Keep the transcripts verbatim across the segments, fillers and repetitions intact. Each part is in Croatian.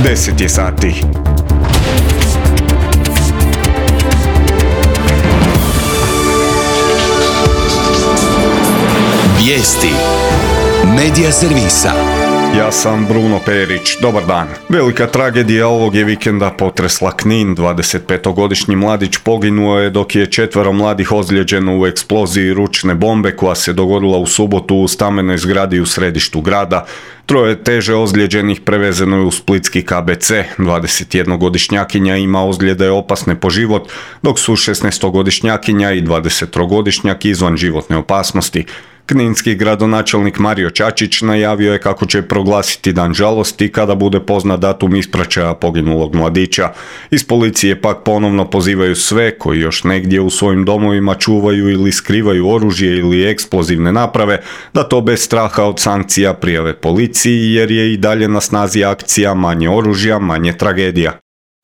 deset je sati. Vijesti Medija servisa. Ja sam Bruno Perić, dobar dan. Velika tragedija ovog je vikenda potresla Knin. dvadesetpetogodišnji mladić poginuo je dok je četvero mladih ozlijeđeno u eksploziji ručne bombe koja se dogodila u subotu u stambenoj zgradi u središtu grada. Troje teže ozlijeđenih prevezeno je u splitski K B C. dvadesetjednogodišnjakinja ima ozljede opasne po život, dok su šesnaestogodišnjakinja i dvadesettrogodišnjak izvan životne opasnosti. Kninski gradonačelnik Mario Čačić najavio je kako će proglasiti dan žalosti kada bude poznat datum ispraćaja poginulog mladića. Iz policije pak ponovno pozivaju sve koji još negdje u svojim domovima čuvaju ili skrivaju oružje ili eksplozivne naprave da to bez straha od sankcija prijave policiji, jer je i dalje na snazi akcija manje oružja, manje tragedija.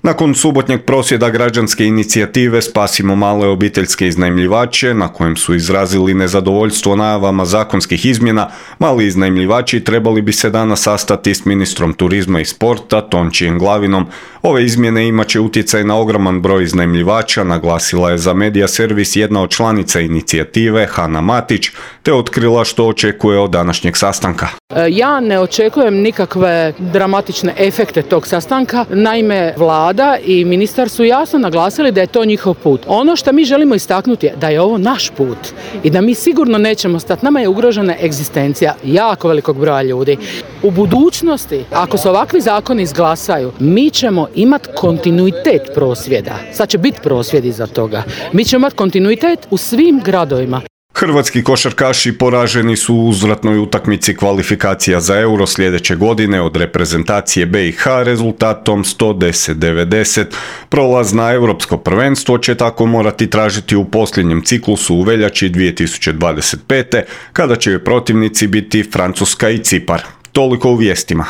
Nakon subotnjeg prosvjeda građanske inicijative Spasimo male obiteljske iznajmljivače, na kojem su izrazili nezadovoljstvo najavama zakonskih izmjena, mali iznajmljivači trebali bi se danas sastati s ministrom turizma i sporta Tončijem Glavinom. Ove izmjene imat će utjecaj na ogroman broj iznajmljivača, naglasila je za Medija servis jedna od članica inicijative, Hana Matić, te otkrila što očekuje od današnjeg sastanka. Ja ne očekujem nikakve dramatične efekte tog sastanka, naime Vlada i ministar su jasno naglasili da je to njihov put. Ono što mi želimo istaknuti je da je ovo naš put i da mi sigurno nećemo stati. Nama je ugrožena egzistencija jako velikog broja ljudi. U budućnosti, ako se ovakvi zakoni izglasaju, mi ćemo imati kontinuitet prosvjeda. Sad će biti prosvjedi za toga. Mi ćemo imati kontinuitet u svim gradovima. Hrvatski košarkaši poraženi su u uzvratnoj utakmici kvalifikacija za Euro sljedeće godine od reprezentacije B i H rezultatom sto deset devedeset. Prolaz na europsko prvenstvo će tako morati tražiti u posljednjem ciklusu u veljači dvije tisuće dvadeset pete. kada će protivnici biti Francuska i Cipar. Toliko u vijestima.